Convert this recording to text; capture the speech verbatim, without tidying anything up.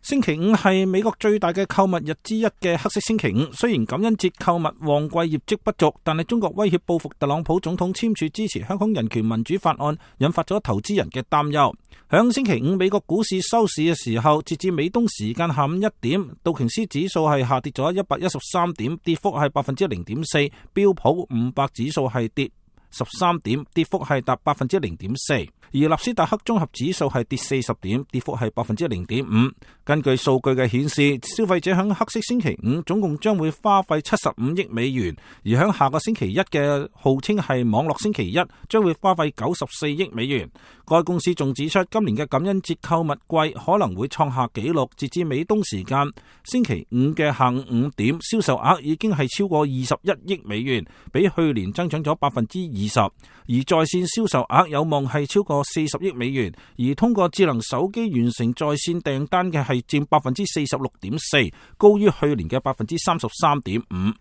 星期五係美國最大嘅購物日之一嘅黑色星期五，雖然感恩節購物旺季業績不俗，但係中國威脅報復特朗普總統簽署支持香港人權民主法案，引發咗投資人嘅擔憂。響星期五美國股市收市嘅時候，截至美東時間下午一點，道瓊斯指數係下跌咗一百一十三點，跌幅係百分之零點四；標普五百指數係跌十三點，跌幅係達百分之零點四。而納斯達克綜合指數係跌四十點，跌幅係百分之零點五。根據數據嘅顯示，消費者響黑色星期五總共將會花費七十五億美元，而響下個星期一嘅號稱係網絡星期一，將會花費九十四億美元。該公司仲指出，今年嘅感恩節購物季可能會創下紀錄。截至美東時間星期五嘅下午五點，銷售額已經係超過二十一億美元，比去年增長咗百分之二十。而在線銷售額有望係超過四十億美元，而通過智能手機完成在線訂單嘅係佔百分之四十六點四，高於去年嘅百分之三十三點五。